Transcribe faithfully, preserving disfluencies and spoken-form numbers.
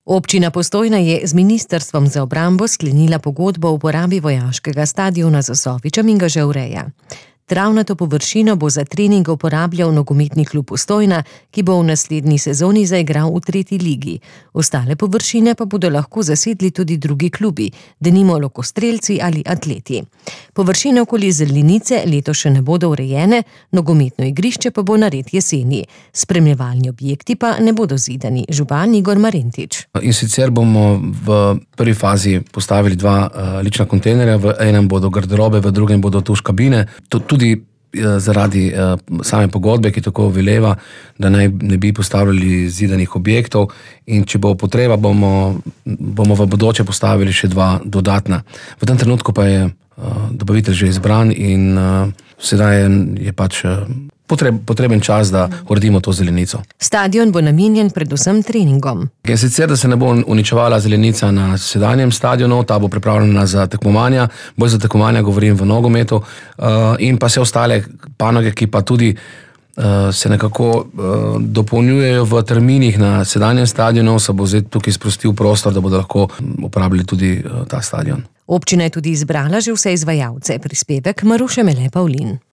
Občina Postojna je z Ministrstvom za obrambo sklenila pogodbo o uporabi vojaškega stadiona z Osofičem in ga že ureja. Travnato površino bo za trening uporabljal nogometni klub Postojna, ki bo v naslednji sezoni zaigral v tretji ligi. Ostale površine pa bodo lahko zasedli tudi drugi klubi, denimo lokostrelci ali atleti. Površine okoli zelenice letos še ne bodo urejene, nogometno igrišče pa bo nared jeseni. Spremljevalni objekti pa ne bodo zidani. Župan Igor Marentič. In sicer bomo v prvi fazi postavili dva uh, lična kontejnerja, v enem bodo garderobe, v drugem bodo tuš kabine. Tudi zaradi uh, same pogodbe, ki tako veleva, da naj ne bi postavljali zidanih objektov, in če bo potreba, bomo, bomo v bodoče postavili še dva dodatna. V tem trenutku pa je uh, dobavitelj že izbran in uh, sedaj je, je pač uh, potreb, potreben čas, da uredimo to zelenico. Stadion bo namenjen predvsem treningom. In sicer, da se ne bo uničevala zelenica na sedanjem stadionu, ta bo pripravljena za tekmovanja, bolj za tekmovanja govorim v nogometu, uh, in pa vse ostale panoge, ki pa tudi uh, se nekako uh, dopolnjujejo v terminih na sedanjem stadionu, se bo zdaj tukaj sprostil prostor, da bodo lahko uporabljali tudi uh, ta stadion. Občina je tudi izbrala že vse izvajalce. Prispevek Maruše Mele Pavlin.